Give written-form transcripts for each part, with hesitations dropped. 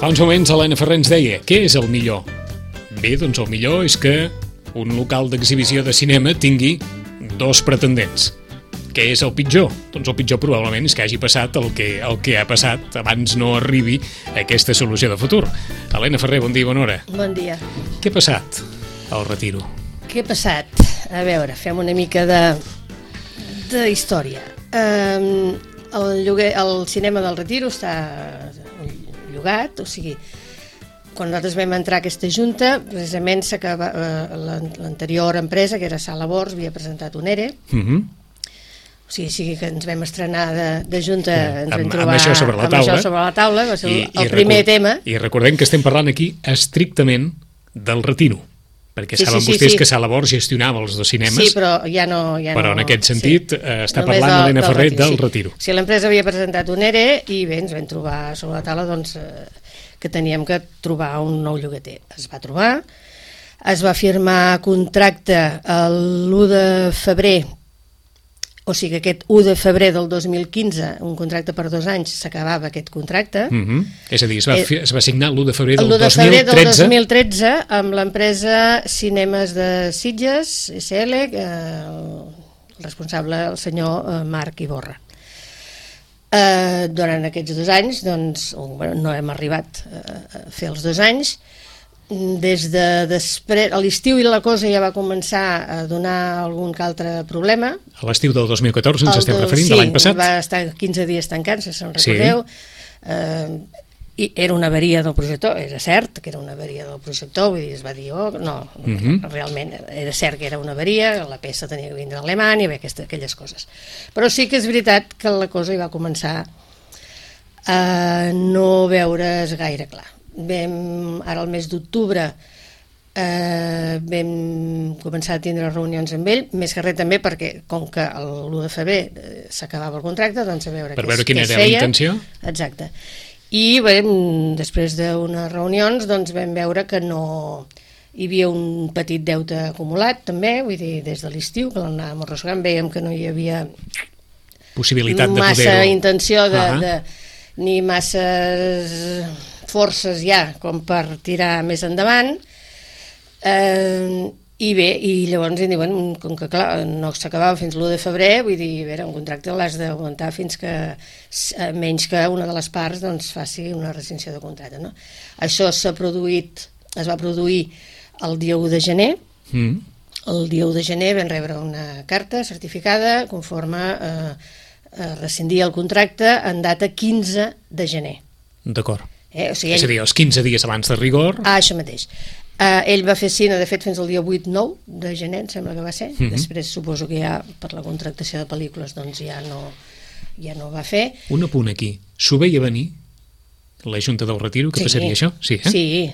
Fa uns moments Helena Ferrer ens deia, què és el millor? Bé, doncs el millor és que un local d'exhibició de cinema tingui dos pretendents. Què és el pitjor? Doncs el pitjor probablement és que hagi passat el que ha passat abans no arribi a aquesta solució de futur. Helena Ferrer, bon dia i bona hora. Bon dia. Què ha passat al Retiro? Què ha passat? A veure, fem una mica de història. El cinema del Retiro està llogat, o sigui, quan nosaltres vam entrar a aquesta junta, precisament l'anterior empresa, que era Sala Bors, havia presentat un ERE. O sigui que ens vam estrenar de junta, ens vam trobar amb això sobre la taula, va ser el primer tema. I recordem que estem parlant aquí estrictament del Retiro, perquè saben vostès que Sala Bors gestionava els dos cinemes. Sí, però ja no... Però en aquest sentit està parlant Helena Ferrer del Retiro. Sí, l'empresa havia presentat un ERE i bé, ens vam trobar sobre la taula doncs, que teníem que trobar un nou llogater. Es va trobar, es va firmar contracte l'1 de febrer, o sigui, aquest 1 de febrer del 2015, un contracte per 2 anys, s'acabava aquest contracte. És a dir, es va signar l'1 de febrer del 2013. El 1 de febrer del 2013 amb l'empresa Cinemes de Sitges, SL, el responsable, el senyor Marc Iborra. Durant aquests 2 anys, doncs, no hem arribat a fer els 2 anys. Des de després, a l'estiu la cosa ja va començar a donar algun altre problema. A l'estiu del 2014 ens estem referint, de l'any passat. Sí, va estar 15 dies tancant, si se'n recordeu. I era una avaria del projector, era cert que era una avaria del projector, vull dir, es va dir, realment era cert que era una avaria, la peça tenia que vindre d'Alemanya, i aquelles coses. Però sí que és veritat que la cosa hi va començar a no veure's gaire clar. Ara al mes d'octubre vam començar a tindre reunions amb ell, més que res també perquè com que l'1 de febrer s'acabava el contracte, doncs a veure per veure quina era la intenció. Exacte. I bé, després d'unes reunions doncs vam veure que no hi havia un petit deute acumulat també, vull dir, des de l'estiu que l'anàvem arrossegant, veiem que no hi havia possibilitat de massa poder-ho. Intenció ni masses forces ja com per tirar més endavant, i bé, i llavors em diuen, com que clar, no s'acabava fins l'1 de febrer, vull dir, a veure, un contracte l'has d'aguantar fins que, menys que una de les parts doncs faci una rescissió de contracte, no? Això es va produir el dia 1 de gener. El dia 1 de gener vam rebre una carta certificada conforme rescindia el contracte en data 15 de gener. D'acord. O sigui, és a dir, els 15 dies abans de rigor. Això mateix. Ell va fer cine, de fet, fins al dia 8-9 de gener, em sembla que va ser. Després suposo que ja per la contractació de pel·lícules doncs ja no va fer. Un apunt aquí. S'ho veia venir la Junta del Retiro, que passaria això? Sí, sí.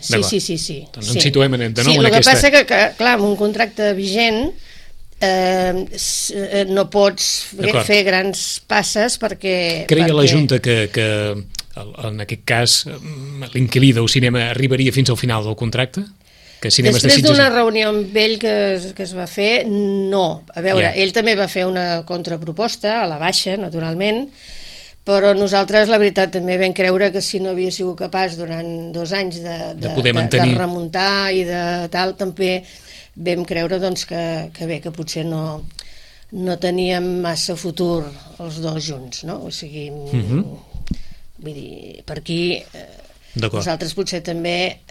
Doncs ens situem de nou en aquesta... Sí, el que passa que, clar, amb un contracte vigent no pots fer grans passes perquè... Creia la Junta que en aquest cas l'inquilí del cinema arribaria fins al final del contracte? Després d'una reunió amb ell que es va fer, no. A veure, ell també va fer una contraproposta a la baixa, naturalment, però nosaltres, la veritat, també vam creure que si no havia sigut capaç durant 2 anys de remuntar i de tal, també vam creure doncs, que bé, que potser no teníem massa futur els dos junts, no? O sigui, vull dir, per aquí nosaltres potser també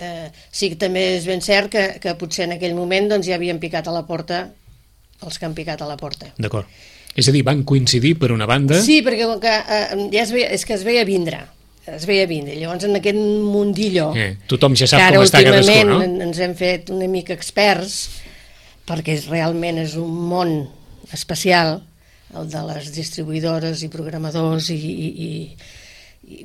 sí que també és ben cert que potser en aquell moment doncs, ja havien picat a la porta els que han picat a la porta. D'acord. És a dir, van coincidir per una banda... Sí, perquè ja és que es veia vindre. Llavors en aquest mundillo tothom ja sap com està cadascú, no? Ara últimament ens hem fet una mica experts perquè realment és un món especial el de les distribuïdores i programadors i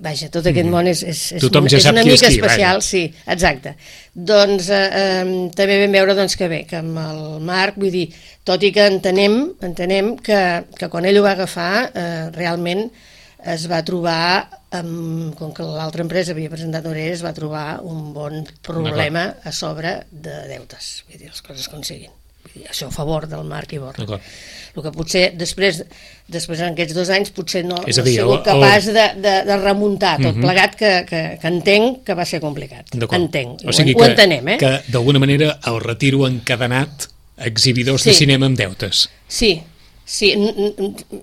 vaja, tot aquest món és una mica especial, sí, exacte. Doncs també vam veure que bé, que amb el Marc, vull dir, tot i que entenem que quan ell ho va agafar realment es va trobar, com que l'altra empresa havia presentat un ERE, es va trobar un bon problema a sobre de deutes, vull dir, les coses com siguin. això a favor del Marc Iborra. El que potser després en aquests 2 anys potser no he sigut capaç de remuntar tot plegat, que entenc que va ser complicat. Entenc, o sigui ho entenem. Que d'alguna manera el Retiro ha encadenat exhibidors de cinema amb deutes. Sí,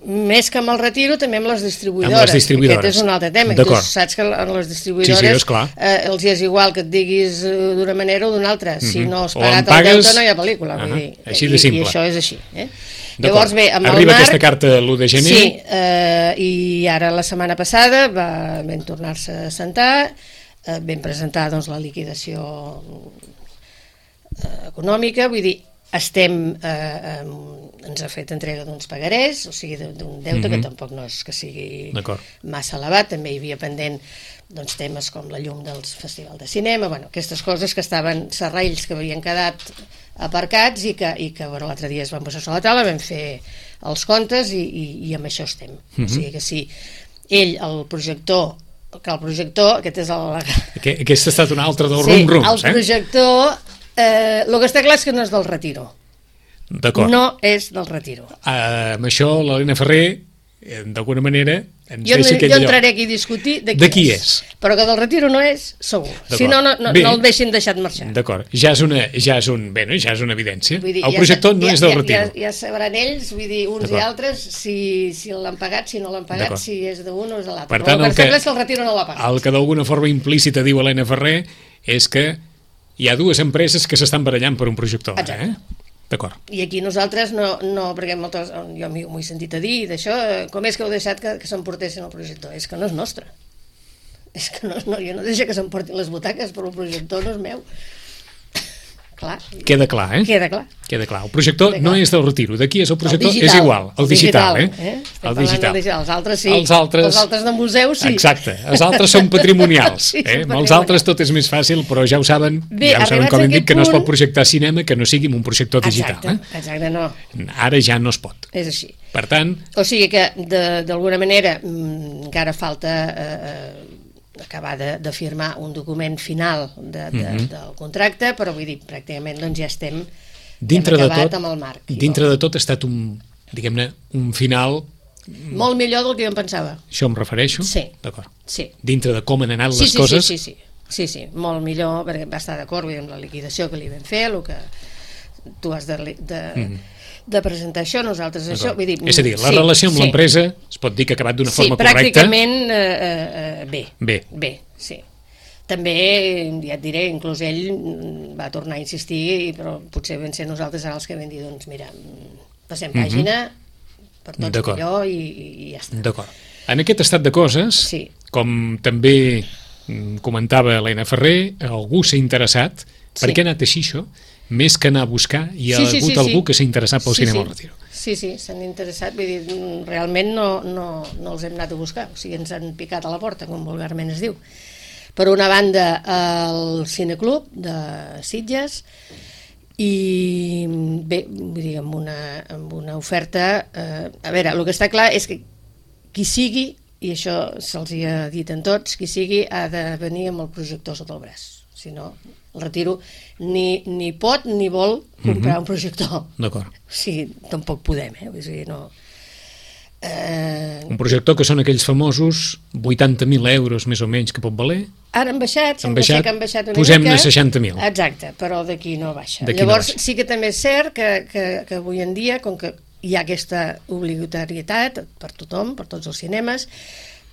més que amb el Retiro, també amb les distribuïdores. Aquest és un altre tema. Tu saps que en les distribuïdores els és igual que et diguis d'una manera o d'una altra. Si no has pagat el deute no hi ha pel·lícula. Així de simple. I això és així. Llavors, bé, amb el Arriba Marc, aquesta carta l'1 de gener. Sí, i ara la setmana passada vam tornar-se a sentar, vam presentar doncs, la liquidació econòmica, vull dir, ens ha fet entrega d'uns pagarés, o sigui, d'un deute que tampoc no és que sigui massa elevat. També hi havia pendent temes com la llum del Festival de Cinema, aquestes coses que estaven serrells que havien quedat aparcats i que l'altre dia es van posar sobre la taula, vam fer els comptes i amb això estem. O sigui que si ell, el projector, aquest és el... Aquest ha estat un altre dels rum-rums, el projector... el que està clar és que no és del Retiro. No és del Retiro. Amb això l'Helena Ferrer, d'alguna manera, ens deixa aquell lloc. Jo entraré aquí a discutir de qui és. Però que del Retiro no és, segur. Si no, no el deixin deixat marxar. D'acord. Ja és una evidència. El projector no és del Retiro. Ja sabran ells, vull dir, uns i altres, si l'han pagat, si no l'han pagat, si és d'un o és de l'altre. Per tant, el que és que el Retiro no l'ha pagat. El que d'alguna forma implícita diu Helena Ferrer és que hi ha 2 empreses que s'estan barallant per un projector. D'acord. I aquí nosaltres no perquè jo m'ho he sentit a dir d'això, com és que heu deixat que s'emportessin el projector? És que no és nostre. És que jo no deixo que s'emportin les butaques, però el projector no és meu. Clar. Queda clar, Queda clar. El projector no és del Retiro. D'aquí és el projector, és igual. El digital, El digital. Els altres sí. Els altres de museu sí. Exacte. Els altres són patrimonials. Amb els altres tot és més fàcil, però ja ho saben, com hem dit, que no es pot projectar cinema que no sigui amb un projector digital. Exacte, no. Ara ja no es pot. És així. Per tant... O sigui que, d'alguna manera, encara falta... acabar de firmar un document final del contracte, però vull dir, pràcticament ja estem acabat amb el Marc. Dintre de tot ha estat un final... Molt millor del que jo em pensava. Això em refereixo? Sí. D'acord. Sí. Dintre de com han anat les coses? Sí, molt millor, perquè va estar d'acord amb la liquidació que li vam fer, el que tu has de presentar això, nosaltres això, vull dir... És a dir, la relació amb l'empresa es pot dir que ha acabat d'una forma correcta? Sí, pràcticament bé, sí. També, ja et diré, inclús ell va tornar a insistir, però potser vam ser nosaltres ara els que vam dir, doncs mira, passem pàgina, per tots millor i ja està. D'acord. En aquest estat de coses, com també comentava Helena Ferrer, algú s'ha interessat, per què ha anat així això? Més que anar a buscar, hi ha hagut algú que s'ha interessat pel cinema al Retiro. Sí, s'han interessat, vull dir, realment no els hem anat a buscar, o sigui, ens han picat a la porta, com vulgarment es diu. Per una banda, el Cineclub de Sitges, i bé, vull dir, amb una oferta... A veure, el que està clar és que qui sigui, i això se'ls hi ha dit en tots, qui sigui ha de venir amb el projector sota el braç, si no... El Retiro ni pot ni vol comprar un projector. D'acord. O sigui, tampoc podem, Vull dir, no... Un projector que són aquells famosos 80.000 euros més o menys que pot valer. Ara han baixat, sembla ser que han baixat una mica. Posem-ne 60.000. Exacte, però d'aquí no baixa. Llavors sí que també és cert que avui en dia, com que hi ha aquesta obligatorietat per tothom, per tots els cinemes,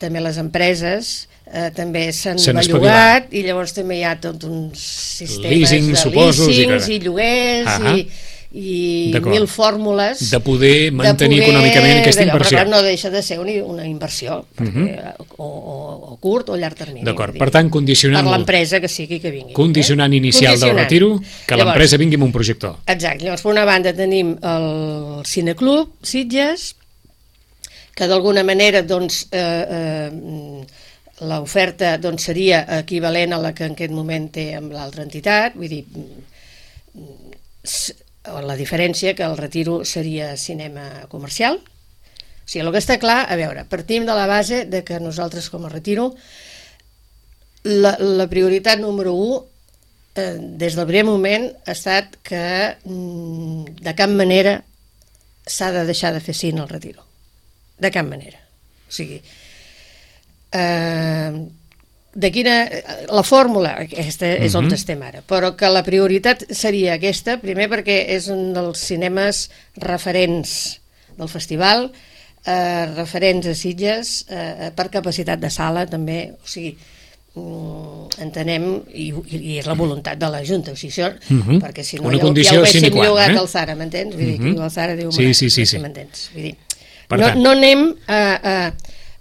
també les empreses també s'han bellugat i llavors també hi ha tots uns sistemes de leasings i lloguers i mil fórmules de poder mantenir econòmicament aquesta inversió. Però no deixa de ser una inversió o curt o llarg termini. D'acord, per tant, condicionant... Per l'empresa que sigui que vingui. Condicionant inicial del Retiro, que l'empresa vingui amb un projector. Exacte, llavors per una banda tenim el Cineclub Sitges, que d'alguna manera doncs l'oferta doncs, seria equivalent a la que en aquest moment té amb l'altra entitat, vull dir, la diferència que el Retiro seria cinema comercial. O sigui, el que està clar, a veure, partim de la base de que nosaltres com a Retiro la prioritat número 1 des del primer moment ha estat que de cap manera s'ha de deixar de fer cine al Retiro. De cap manera. O sigui, la fórmula, aquesta és on estem ara, però que la prioritat seria aquesta, primer perquè és un dels cinemes referents del festival, referents a Sitges, per capacitat de sala també, o sigui, entenem, i és la voluntat de la Junta, o sigui, això, perquè si no ja ho haguéssim llogat al Zara, m'entens? Vull dir, que el Zara diu, m'entens? Vull dir, no anem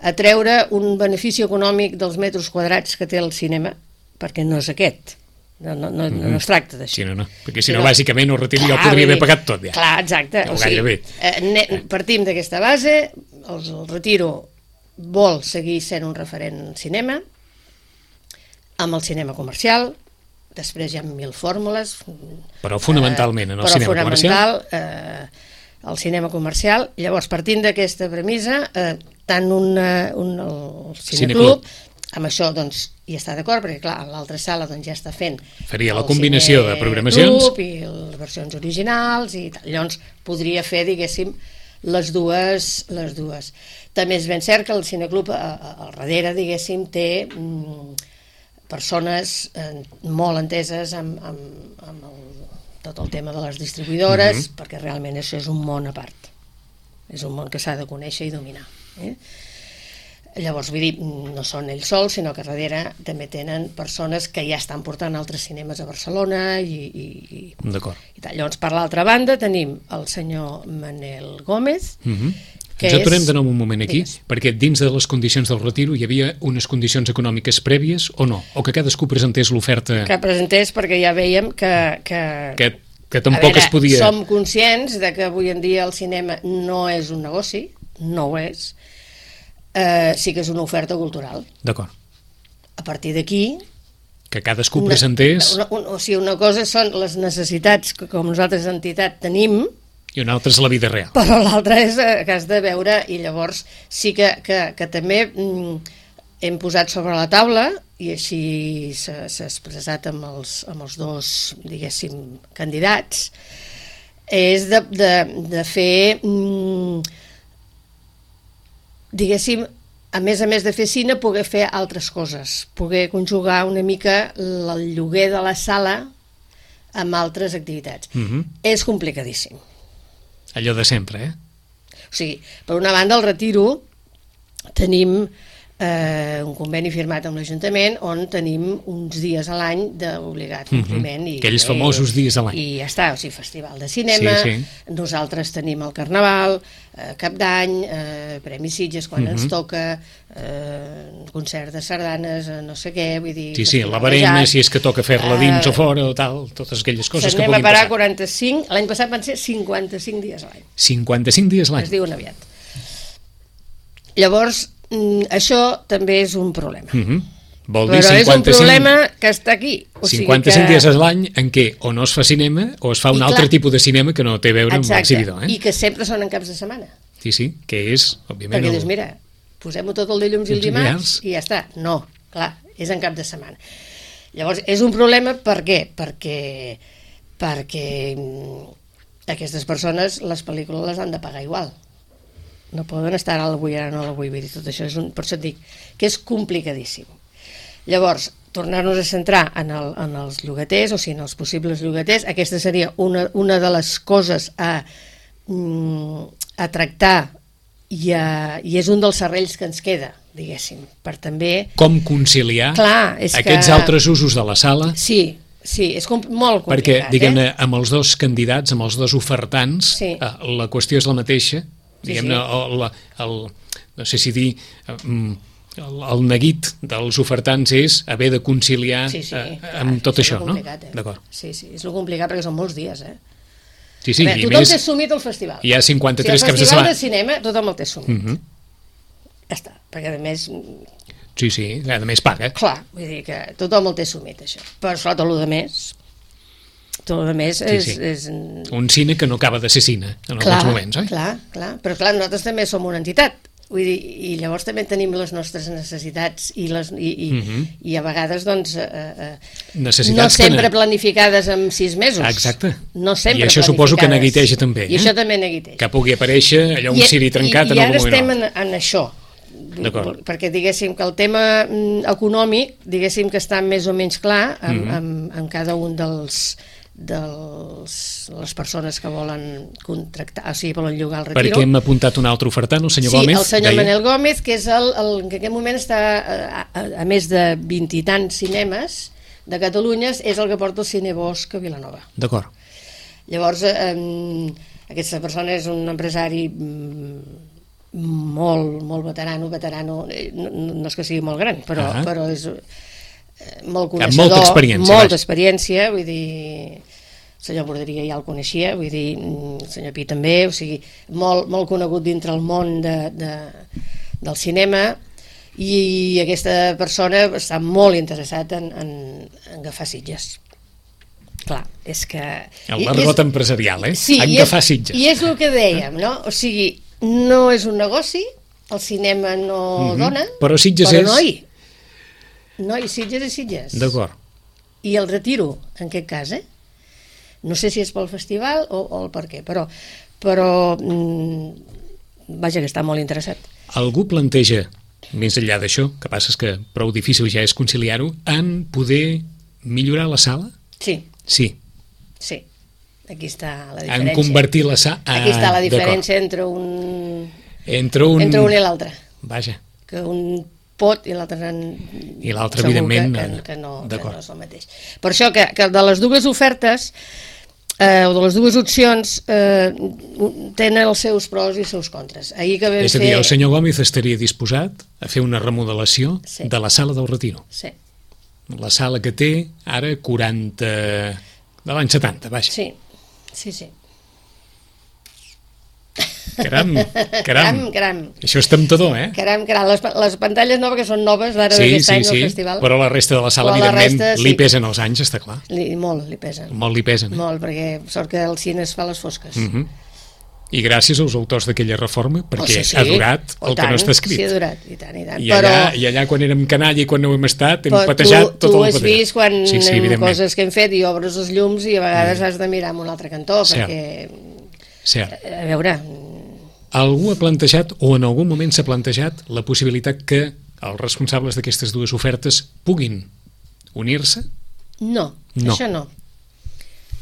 a treure un benefici econòmic dels metres quadrats que té el cinema, perquè no és aquest. No es tracta d'això. Sí, no. Perquè si no, bàsicament, el Retiro ja ho podria haver pagat tot, ja. Clar, exacte. O sigui, partim d'aquesta base, el Retiro vol seguir sent un referent en cinema, amb el cinema comercial, després hi ha 1000 fórmules. Però fonamentalment en el cinema comercial. El cinema comercial. Llavors, partint d'aquesta premissa, tant el Cineclub, amb això doncs hi està d'acord, perquè clar, l'altra sala doncs ja està fent faria la combinació de programacions i les versions originals i tal. Llavors podria fer, diguéssim, les dues. També és ben cert que el Cineclub al darrere, diguéssim, té persones molt enteses amb tot el tema de les distribuïdores, perquè realment això és un món a part, és un món que s'ha de conèixer i dominar. Llavors, vull dir, no són ells sols, sinó que darrere també tenen persones que ja estan portant altres cinemes a Barcelona i d'acord. Llavors, per l'altra banda, tenim el senyor Manel Gómez, que ens aturem de nou un moment aquí, perquè dins de les condicions del Retiro hi havia unes condicions econòmiques prèvies o no? O que cadascú presentés l'oferta? Que presentés, perquè ja veiem que tampoc es podia... Som conscients de que avui en dia el cinema no és un negoci, no ho és, sí que és una oferta cultural. D'acord. A partir d'aquí... Que cadascú presentés... O sigui, una cosa són les necessitats que com nosaltres entitat tenim, i una altra és la vida real. Però l'altra és que has de veure, i llavors sí que també hem posat sobre la taula, i així s'ha expressat amb els dos, diguéssim, candidats, és de fer, diguéssim, a més de fer cine, poder fer altres coses, poder conjugar una mica el lloguer de la sala amb altres activitats. És complicadíssim. Allò de sempre, O sigui, per una banda, al Retiro tenim un conveni firmat amb l'Ajuntament on tenim uns dies a l'any d'obligat compliment. Aquells famosos dies a l'any. I ja està, o sigui, festival de cinema, nosaltres tenim el Carnaval, Cap d'Any, Premi Sitges quan ens toca, concert de sardanes, no sé què, vull dir... Sí, la barema, si és que toca fer-la dins o fora o tal, totes aquelles coses que puguin passar. Anem a parar 45, l'any passat van ser 55 dies a l'any. 55 dies a l'any? Es diuen aviat. Llavors, això també és un problema. Vol dir però és un problema que està aquí. 55 dies a l'any en què o no es fa cinema o es fa un altre tipus de cinema que no té a veure amb l'exhibidor. I que sempre són en caps de setmana. Sí, que és, òbviament... Perquè dius, mira, posem-ho tot el dilluns i el dimarts i ja està. No, clar, és en cap de setmana. Llavors, és un problema per què? Perquè aquestes persones les pel·lícules les han de pagar igual. No poden estar ara vull, vull dir, tot això és per això et dic que és complicadíssim. Llavors, tornar-nos a centrar en els llogaters, o sigui, en els possibles llogaters, aquesta seria una de les coses a tractar i és un dels serrells que ens queda, diguéssim, per també... Com conciliar aquests altres usos de la sala? Sí, és molt complicat. Perquè, diguem-ne, amb els dos candidats, amb els dos ofertants, la qüestió és la mateixa, diguem-ne, no sé si dir... El neguit dels ofertants és haver de conciliar amb tot això, no? D'acord. Sí, és el complicat perquè són molts dies, Sí, i més... Tothom té assumit el festival. Hi ha 53 caps de setmana. El festival de cinema, tothom el té assumit. Ja està, perquè a més... Sí, a més paga. Clar, vull dir que tothom el té assumit, això. Però sota el més... Tot el més és... Un cine que no acaba de ser cine en alguns moments, oi? Clar. Però clar, nosaltres també som una entitat. Vull dir, i llavors també tenim les nostres necessitats i a vegades doncs no sempre planificades en 6 mesos. Exacte. No sempre i això suposo que neguiteja també. I això també neguiteja. Que pugui aparèixer allò un ciri trencat en algun moment. I ara estem en això. Perquè diguéssim que el tema econòmic, diguéssim que està més o menys clar en cada un de les persones que volen contractar, o sigui, volen llogar el retiro. Perquè hem apuntat un altre ofertant, el senyor Gómez. Sí, el senyor Manel Gómez, que és el que en aquest moment està, a més de 20 i tants cinemes de Catalunya, és el que porta el Cine Bosch a Vilanova. D'acord. Llavors, aquesta persona és un empresari molt veterano, no és que sigui molt gran, però és molt coneixedor, molta experiència, vull dir, el senyor Borderia ja el coneixia, vull dir, el senyor Pi també, o sigui, molt conegut dintre el món del cinema, i aquesta persona està molt interessat en agafar Sitges. Clar, és que... El l'argot empresarial, sí, agafar Sitges. I és el que dèiem, no? O sigui, no és un negoci, el cinema no dona, però Sitges és... Sitges és Sitges. D'acord. I el retiro, en aquest cas, no sé si és pel festival o el per què, però vaja, que està molt interessat. Algú planteja, més enllà d'això, que passa és que prou difícil ja és conciliar-ho, en poder millorar la sala? Sí. Sí. Sí. Aquí està la diferència. En convertir la sala... Aquí està la diferència entre un i l'altre. Vaja. Que un pot i l'altre evidentment que no és el mateix. Per això que de les dues ofertes o de les dues opcions tenen els seus pros i els seus contres. És a dir, el senyor Gómez estaria disposat a fer una remodelació de la sala del Retiro. Sí. La sala que té ara 40 de l'any 70, vaja. Sí. Caram. Caram. Això és temptador, Caram. Les pantalles noves, que són noves d'ara d'aquest any del festival. Però la resta de la sala, evidentment, li pesen els anys, està clar. Molt li pesen. Molt li pesen. Molt, perquè sort que el cine es fa a les fosques. I gràcies als autors d'aquella reforma, perquè ha durat el que no està escrit. Sí, ha durat, i tant. I allà quan érem canalla i quan no hem estat, hem patejat tot el patejat. Tu has vist quan coses que hem fet i obres els llums i a vegades has de mirar en un altre cantó, perquè... Cert. A veure... Algú ha plantejat, o en algun moment s'ha plantejat, la possibilitat que els responsables d'aquestes dues ofertes puguin unir-se? No, això no.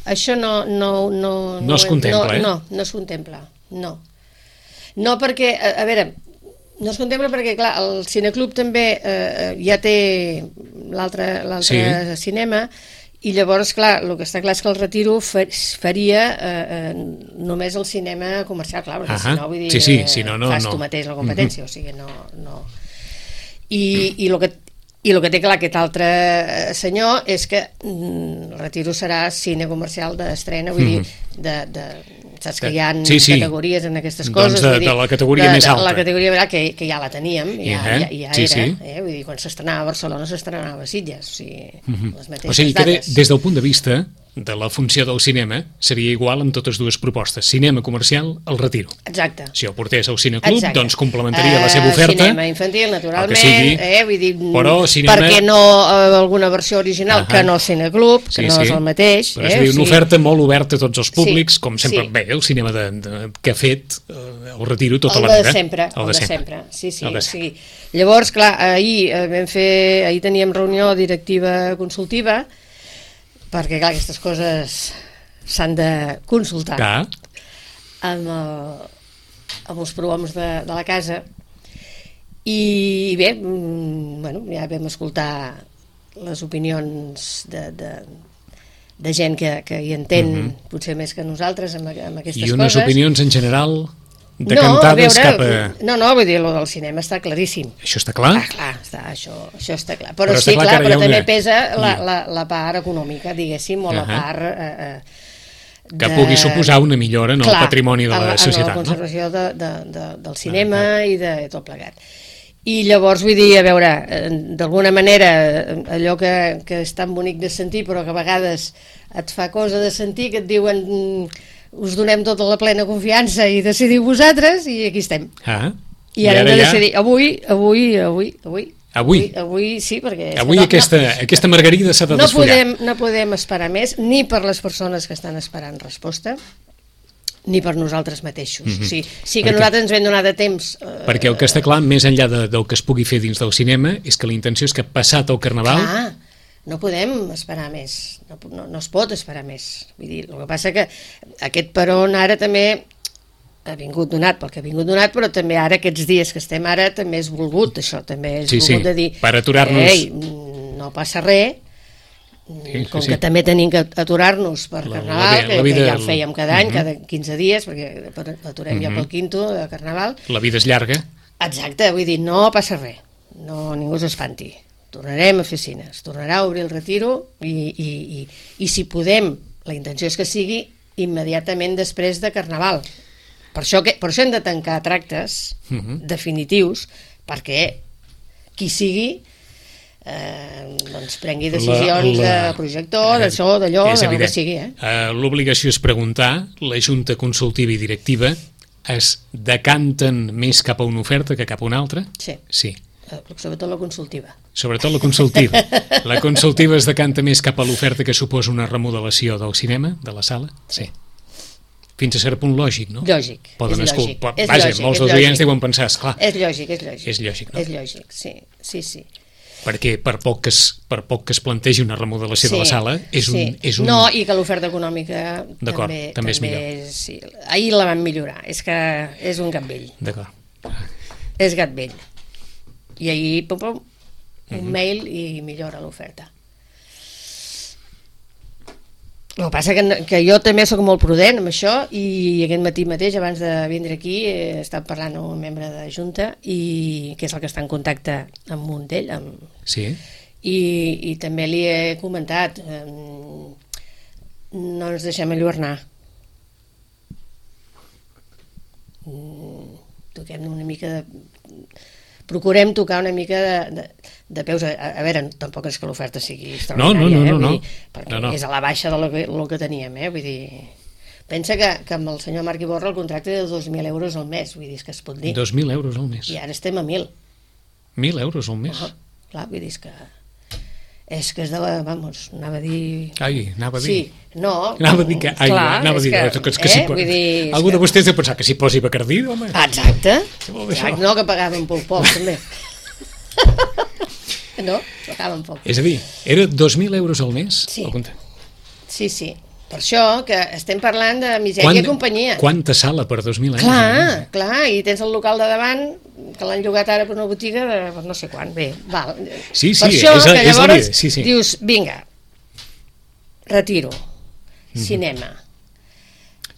Això no es contempla, No es contempla, no. No perquè, a veure, no es contempla perquè, clar, el Cineclub també ja té l'altre cinema, i llavors, clar, el que està clar és que el Retiro faria només el cinema comercial, clar, perquè si no, vull dir, fas tu mateix la competència, o sigui, no... I el que té clar aquest altre senyor és que el Retiro serà cine comercial d'estrena, vull dir, saps que hi ha categories en aquestes coses, de la categoria més alta, la categoria que ja la teníem, ja era, vull dir, quan s'estrenava a Barcelona s'estrenava a Sitges, o sigui, les mateixes dates. O sigui que des del punt de vista de la funció del cinema seria igual en totes dues propostes, cinema comercial, el Retiro. Exacte. Si el portés al Cineclub, doncs complementaria la seva oferta. Cinema infantil, naturalment, vull dir, cinema... perquè no alguna versió original que no Cineclub, que no és el mateix. Però és una oferta molt oberta a tots els públics, com sempre, bé, el cinema que ha fet el Retiro tota la vida. El de sempre. Sí. Llavors, clar, ahir teníem reunió directiva consultiva, perquè, clar, aquestes coses s'han de consultar amb els prohoms de la casa, i bé, ja vam escoltar les opinions de gent que hi entén potser més que nosaltres amb aquestes coses. I unes opinions en general decantades cap a... No, vull dir, el del cinema està claríssim. Això està clar? Això està clar. Però sí, clar, però també pesa la part econòmica, diguéssim, o la part... que pugui suposar una millora en el patrimoni de la societat. En la conservació del cinema i de tot plegat. I llavors, vull dir, a veure, d'alguna manera, allò que és tan bonic de sentir, però que a vegades et fa cosa de sentir, que et diuen... us donem tota la plena confiança i decidiu vosaltres, i aquí estem. I ara hem de decidir, avui sí, perquè... Avui aquesta margarida s'ha de desfollar. No podem esperar més, ni per les persones que estan esperant resposta, ni per nosaltres mateixos. Sí que nosaltres ens vam donar de temps... Perquè el que està clar, més enllà del que es pugui fer dins del cinema, és que la intenció és que passat el Carnaval... Clar, no podem esperar més, no es pot esperar més. Vull dir, el que passa que aquest peron ara també ha vingut donat pel que ha vingut donat, però també ara, aquests dies que estem ara, també és volgut, això, també és volgut de dir... per aturar-nos... Ei, no passa res, com que també tenim que aturar-nos per Carnaval, que ja el fèiem cada any, cada 15 dies, perquè aturem ja pel quinto de Carnaval. La vida és llarga. Exacte, vull dir, no passa res, ningú s'espanti. Tornarem a fer cine, es tornarà a obrir el retiro i si podem, la intenció és que sigui immediatament després de Carnaval. Per això hem de tancar tractes definitius, perquè qui sigui prengui decisions de projector, d'això, d'allò, del que sigui. L'obligació és preguntar, la Junta Consultiva i Directiva es decanten més cap a una oferta que cap a una altra? Sí. Sobretot la consultiva. Sobretot la consultiva. La consultiva es decanta més cap a l'oferta que suposa una remodelació del cinema, de la sala? Sí. Fins a cert punt lògic, no? Lògic. Vaja, molts dels oients deuen pensar, esclar. És lògic, no? És lògic, sí. Perquè per poc que es plantegi una remodelació de la sala, és un... No, i que l'oferta econòmica també és millor. Sí. Ahir la van millorar, és que és un gat vell. D'acord. És gat vell. I ahir, un mail i millora l'oferta. El que passa que jo també soc molt prudent amb això, i aquest matí mateix, abans de vindre aquí, he estat parlant amb un membre de Junta, que és el que està en contacte amb un d'ell. Sí. I també li he comentat, no ens deixem enlluernar. Toquem una mica de... Procurem tocar una mica de peus. A veure, tampoc és que l'oferta sigui extraordinària, no. Perquè és a la baixa del que teníem, vull dir... Pensa que amb el senyor Marc Iborra el contracte de 2.000 euros al mes, vull dir, és que es pot dir. 2.000 euros al mes? I ara estem a 1.000. 1.000 euros al mes? Clar, vull dir, és que és de la... Vamos, anava a dir... Anava a dir... Sí, no... Anava a dir que... Anava a dir que algú de vostès deu pensar que s'hi posi Bacardí, home. Exacte. No, que pagaven poc, també. No, pagaven poc. És a dir, era 2.000 euros al mes? Sí. Per això que estem parlant de misèria i companyia. Quanta sala per 2.000 euros? Clar, i tens el local de davant, que l'han llogat ara per una botiga de no sé quan. Bé, val. Sí, per això que llavors sí. Dius, vinga, retiro, cinema.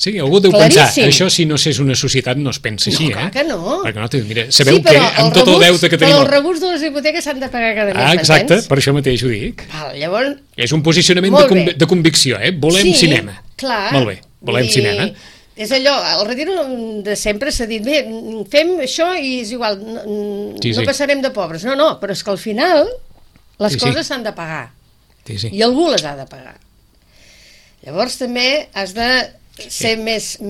Sí, algú deu pensar, això si no s'és una societat no es pensa així, clar que no. Perquè no, mira, sabeu que amb tot el deute que tenim... Però els rebuts de les hipoteques s'han de pagar cada mes, exacte, per això mateix ho dic. Llavors... És un posicionament de convicció, Volem cinema. Clar. Molt bé, volem cinema. És allò, el retiro de sempre s'ha dit, bé, fem això i és igual, no passarem de pobres. No, però és que al final les coses s'han de pagar. I algú les ha de pagar. Llavors també has de ser més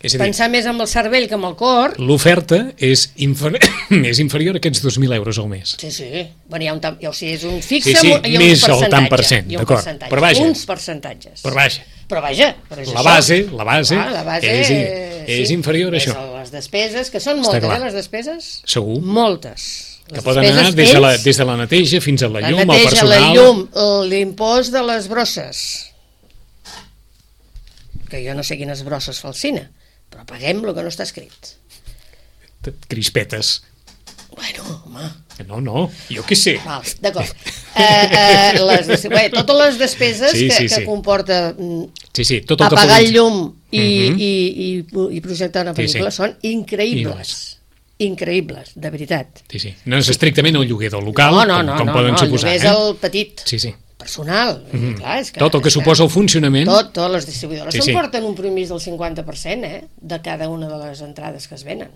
pensar més amb el cervell que amb el cor. L'oferta és inferior a aquests 2.000 euros al mes. Sí. Bueno, és un fixe i un més el tant per cent, d'acord. Però vaja. Uns percentatges. Però vaja, la base és inferior a això. Les despeses, que són moltes, les despeses? Segur. Moltes. Que poden anar des de la neteja fins a la llum, el personal... La llum, l'impost de les brosses, que jo no sé quines brosses fa el cine, però paguem el que no està escrit. Crispetes. Bueno, home... No, jo què sé. D'acord. Totes les despeses que comporta apagar el llum i projectar una pel·lícula són increïbles. Increïbles, de veritat. Sí. No és estrictament el lloguer del local, com poden suposar. No, el lloguer és el petit. Sí. Personal. Clar, és que, tot el que suposa el funcionament. Totes les distribuïdores s'emporten un promís del 50% de cada una de les entrades que es venen.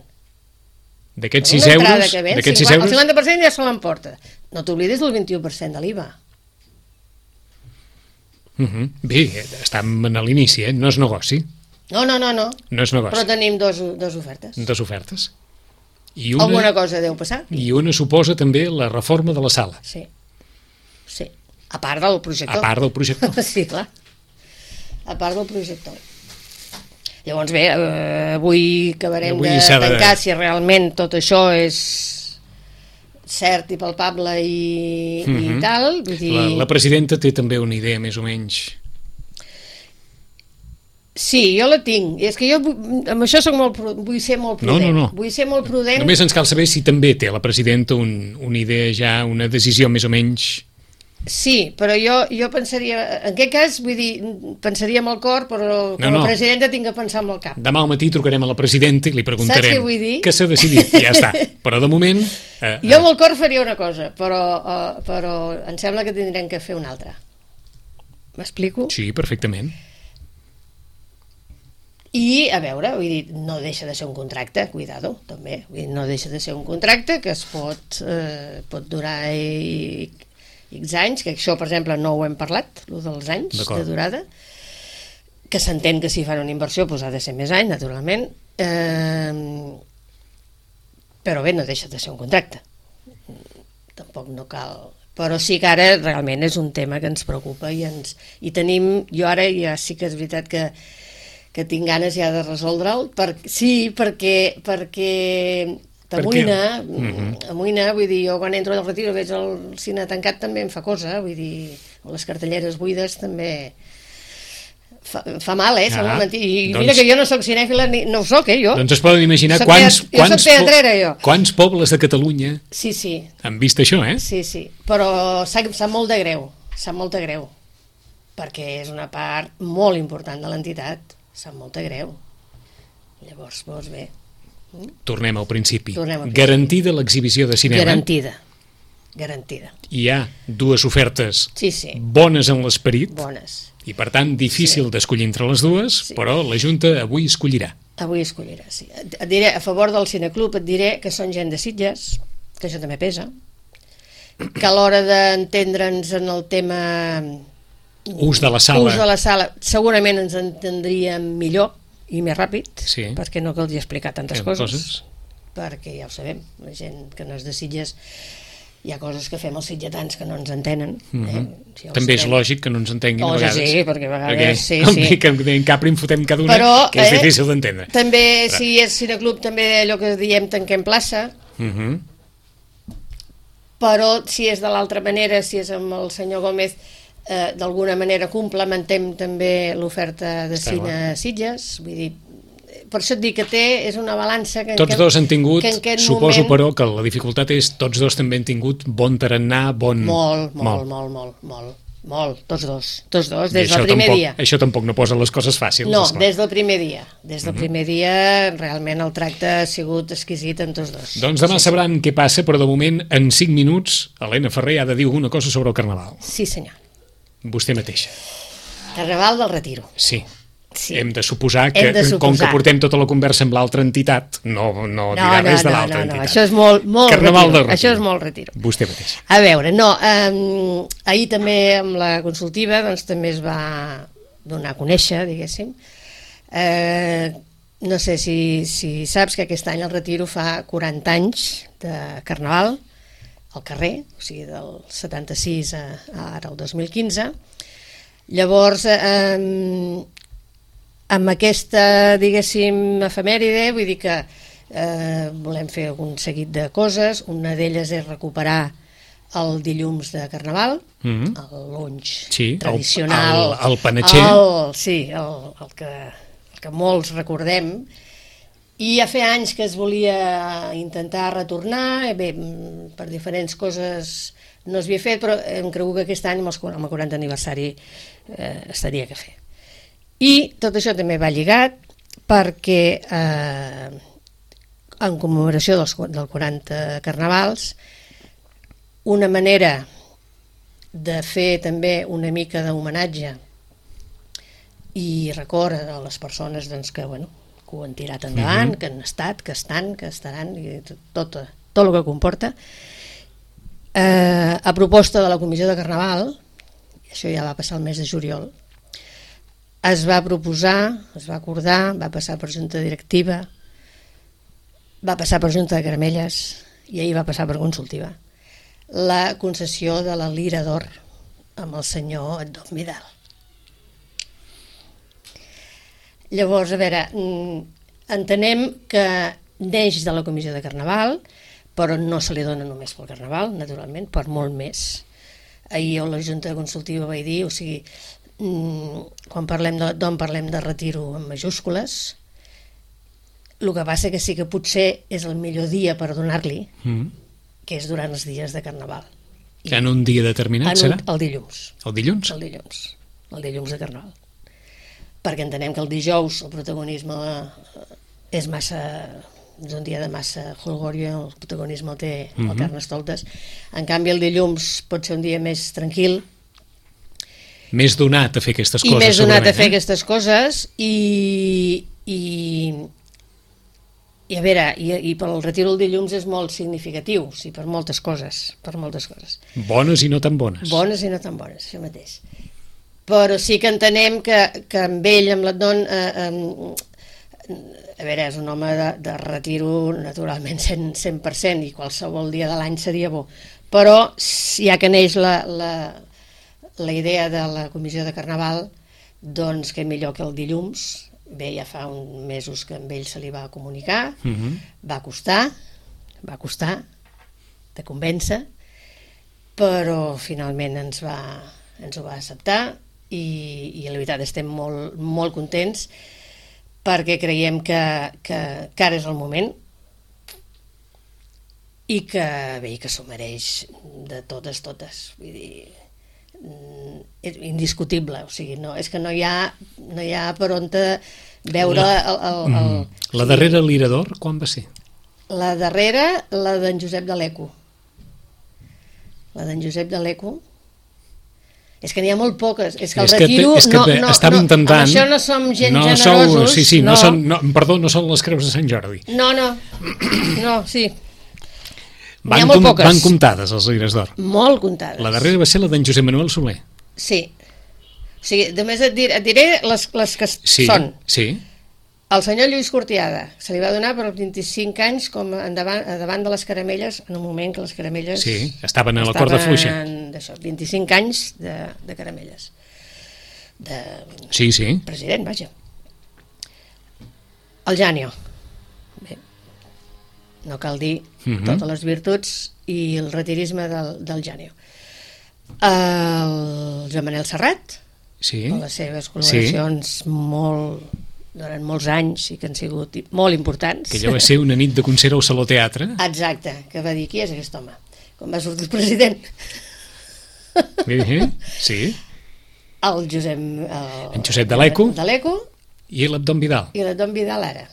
D'aquests 6 euros... El 50% ja se l'emporta. No t'oblidis del 21% de l'IVA. Bé, estem a l'inici, no és negoci. No. No és negoci. Però tenim dos ofertes. Dos ofertes. Alguna cosa deu passar. I una suposa també la reforma de la sala. Sí. A part del projector. A part del projector. Sí, clar. A part del projector. Llavors bé, avui acabarem de tancar si realment tot això és cert i palpable i tal. Vull dir... La presidenta té també una idea més o menys... Sí, jo la tinc. I és que jo amb això vull ser molt prudent. No. Vull ser molt prudent. Només ens cal saber si també té la presidenta una idea ja, una decisió més o menys... Sí, però jo pensaria... En aquest cas, vull dir, pensaria amb el cor, però com a presidenta tinc que pensar amb el cap. Demà al matí trucarem a la presidenta i li preguntarem... Saps què vull dir? Què s'ha decidit, ja està. Però de moment... Jo amb el cor faria una cosa, però em sembla que tindrem que fer una altra. M'explico? Sí, perfectament. I, a veure, vull dir, no deixa de ser un contracte, cuidado, també. Vull dir, no deixa de ser un contracte que es pot durar X anys, que això, per exemple, no ho hem parlat, el dels anys de durada, que s'entén que si fan una inversió doncs ha de ser més anys, naturalment, però bé, no deixa de ser un contracte. Tampoc no cal... Però sí que ara realment és un tema que ens preocupa i tenim... Jo ara ja sí que és veritat que tinc ganes ja de resoldre'l, perquè t'amoïna, vull dir, jo quan entro al retiro veig el cine tancat també em fa cosa, vull dir, les cartelleres buides també fa mal, i mira que jo no soc cinèfila, no ho soc, jo. Doncs es poden imaginar quants pobles de Catalunya han vist això, eh? Sí, però sap molt de greu, perquè és una part molt important de l'entitat, sap molt de greu. Llavors, bé... Tornem al principi. Garantida l'exhibició de cinema. Garantida. Hi ha dues ofertes bones en l'esperit. Bones. I per tant difícil d'escollir entre les dues, però la Junta avui escollirà. Sí. Et diré, a favor del Cineclub et diré que són gent de Sitges, que això també pesa, que a l'hora d'entendre'ns en el tema ús de la sala segurament ens entendríem millor i més ràpid, perquè no caldria explicar tantes coses, perquè ja ho sabem, la gent que no és de Sitges, hi ha coses que fem els sitgetans que no ens entenen. També és lògic que no ens entenguin a vegades. Sí, perquè a vegades que en Capri en fotem cada una, que és difícil d'entendre. També, si és cineclub, també allò que diem tanquem plaça, però si és de l'altra manera, si és amb el senyor Gómez, d'alguna manera complementem també l'oferta de cine a Sitges, vull dir, per això et dic que és una balança que tots dos han tingut, suposo però que la dificultat és tots dos també han tingut bon tarannà, molt, tots dos, des del primer dia. Això tampoc no posa les coses fàcils. No, des del primer dia realment el tracte ha sigut exquisit en tots dos. Doncs demà sabran què passa, però de moment en 5 minuts Helena Ferrer ha de dir alguna cosa sobre el Carnaval. Sí senyor. Vostè mateixa. Carnaval del Retiro. Sí. Hem de suposar que, com que portem tota la conversa amb l'altra entitat, no dirà res de l'altra entitat. Això és molt Carnaval del Retiro. Això és molt Retiro. Vostè mateixa. A veure, ahir també amb la consultiva doncs també es va donar a conèixer, diguéssim. No sé si saps que aquest any el Retiro fa 40 anys de Carnaval al carrer, o sigui, del 76 a ara el 2015. Llavors, amb aquesta, diguéssim, efemèride, vull dir que volem fer un seguit de coses. Una d'elles és recuperar el dilluns de Carnaval, el lunch tradicional. El panatxer. El que molts recordem. I ja fa anys que es volia intentar retornar, bé, per diferents coses no s'havia fet, però hem cregut que aquest any, amb el 40 aniversari, estaria que fer. I tot això també va lligat perquè en commemoració del 40 Carnavals, una manera de fer també una mica d'homenatge i record a les persones doncs, que ho han tirat endavant, que han estat, que estan, que estaran, i tot el que comporta. A proposta de la Comissió de Carnaval, això ja va passar el mes de juliol, es va proposar, es va acordar, va passar per junta directiva, va passar per Junta de Caramelles i ahir va passar per Consultiva la concessió de la Lira d'Or amb el senyor Don Vidal. Llavors, a veure, entenem que neix de la Comissió de Carnaval, però no se li dona només pel Carnaval, naturalment, per molt més. Ahir a la Junta Consultiva vaig dir, o sigui, quan parlem de retiro en majúscules, el que passa que sí que potser és el millor dia per donar-li, que és durant els dies de Carnaval. En un dia determinat, serà? El dilluns. El dilluns? El dilluns de Carnaval. Perquè entenem que el dijous el protagonisme és massa... és un dia de massa jolgòria, el protagonisme el té el Carnestoltes. En canvi, el dilluns pot ser un dia més tranquil. Més donat a fer aquestes coses, I més donat a fer aquestes coses, i a veure, i pel retiro del dilluns és molt significatiu, sí, per moltes coses. Bones i no tan bones. Bones i no tan bones, això mateix. Però sí que entenem que amb ell, amb l'Adon, a veure, és un home de retiro naturalment 100% i qualsevol dia de l'any seria bo. Però ja que neix la idea de la Comissió de Carnaval, doncs que millor que el dilluns. Bé, ja fa uns mesos que amb ell se li va comunicar, va costar de convèncer, però finalment ens ho va acceptar i la veritat estem molt, molt contents perquè creiem que ara és el moment i que bé, que s'ho mereix de totes. Vull dir, és indiscutible, o sigui, no, és que no hi ha per on veure la darrera Lira d'Or quan va ser? La darrera, la d'en Josep de l'Eco. És que n'hi ha molt poques, és que el retiro estava intentant, amb això no som gent generosos. No són les creus de Sant Jordi. No, sí. Van comptades les Lires d'Or. Molt comptades. La darrera va ser la d'en Josep Manuel Soler. Sí. O sigui, només et diré les que són. Sí. El senyor Lluís Cortiada se li va donar per 25 anys com davant de les Caramelles, en un moment que les Caramelles... Sí, estaven a la corda fluixa. 25 anys de Caramelles. Sí. President, vaja. El Janio. No cal dir totes les virtuts i el retirisme del Janio. El Joan Manel Serrat, amb les seves col·laboracions durant molts anys i que han sigut molt importants. Que allò va ser una nit de concert al Saló Teatre. Exacte, que va dir, qui és aquest home? Quan va sortir el president. Sí. El Josep... En Josep de l'Eco. I l'Abdon Vidal. I l'Abdon Vidal ara.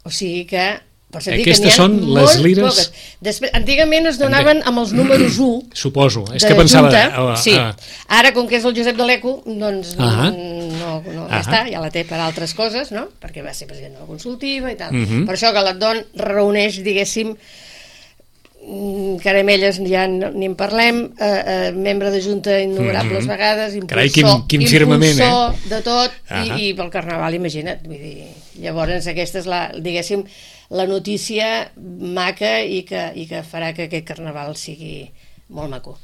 O sigui que... Aquestes són les lires... Després, antigament es donaven amb els números 1. Suposo, és que pensava... Sí, ara com que és el Josep de l'Eco, doncs ja està, ja la té per altres coses, no? Perquè va ser president de la Consultiva i tal. Per això que l'Adon reuneix, diguéssim, Caramelles ja ni en parlem, membre de Junta innumerables vegades, impulsor de tot, i pel Carnaval, imagina't. Vull dir, llavors aquesta és diguéssim, la notícia maca i que farà que aquest Carnaval sigui molt maco.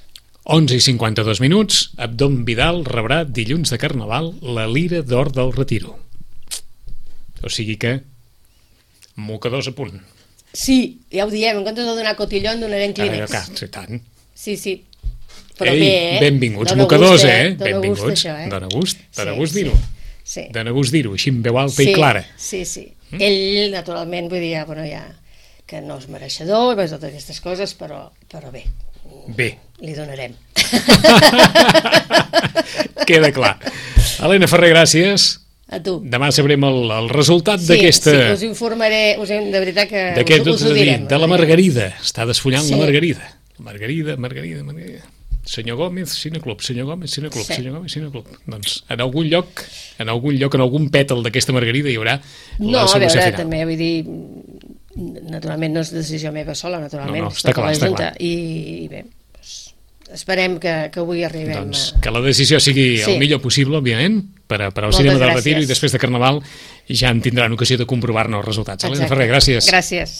11:52, Abdon Vidal rebrà dilluns de Carnaval la Lira d'Or del Retiro. O sigui que mocadors a punt. Sí, ja ho diem, en comptes de donar cotillón donarem clínex. Sí. Però bé, benvinguts mocadors, benvinguts. Dóna gust dir-ho. Dóna gust dir-ho, així en veu alta i clara. Sí. Ell, naturalment, vull dir, que no és mereixedor i totes aquestes coses, però bé. Li donarem. Queda clar. Helena Ferrer, gràcies. A tu. Demà sabrem el resultat d'aquesta... Sí, us informaré, de veritat que us ho direm. De la Margarida. Està desfullant la Margarida. Margarida. Senyor Gómez, Cineclub. Doncs en algun lloc, en algun pètal d'aquesta Margarida hi haurà la solució final. També, vull dir, naturalment no és decisió meva sola, naturalment. No, està clar. I bé, esperem que avui arribem. Doncs que la decisió sigui el millor possible, òbviament, per al cinema del Retiro, i després de Carnaval ja en tindran ocasió de comprovar-ne els resultats. Elena Ferrer, gràcies. Gràcies.